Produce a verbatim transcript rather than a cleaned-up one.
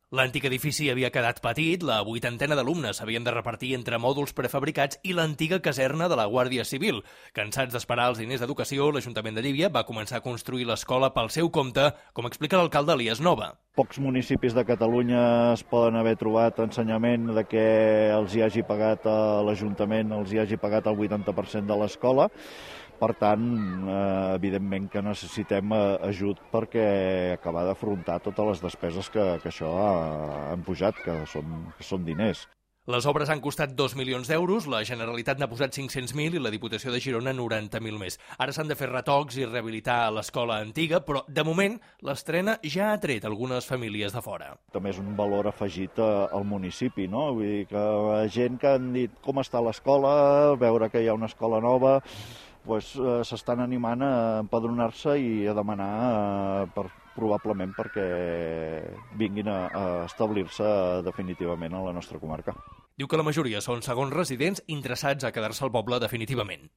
L'antic edifici havia quedat petit, la vuitantena d'alumnes s'havien de repartir entre mòduls prefabricats i l'antiga caserna de la Guàrdia Civil. Cansats d'esperar els diners d'educació, l'Ajuntament de Llívia va començar a construir l'escola pel seu compte, com explica l'alcalde Elias Nova. Pocs municipis de Catalunya es poden haver trobat ensenyament de que els hi hagi pagat a l'Ajuntament, els hi hagi pagat el vuitanta per cent de l'escola. Per tant, eh, evidentment que necessitem ajut perquè acabar d'afrontar totes les despeses que, que això ha, han pujat, que són, que són diners. Les obres han costat dos milions d'euros, la Generalitat n'ha posat cinc-cents mil i la Diputació de Girona noranta mil més. Ara s'han de fer retocs i rehabilitar l'escola antiga, però de moment l'estrena ja ha tret algunes famílies de fora. També és un valor afegit al municipi, no? Vull dir que gent que han dit com està l'escola, veure que hi ha una escola nova, pues, eh, s'estan animant a empadronar-se i a demanar eh, per, probablement perquè vinguin a, a establir-se definitivament a la nostra comarca. Diu que la majoria són segons residents interessats a quedar-se al poble definitivament.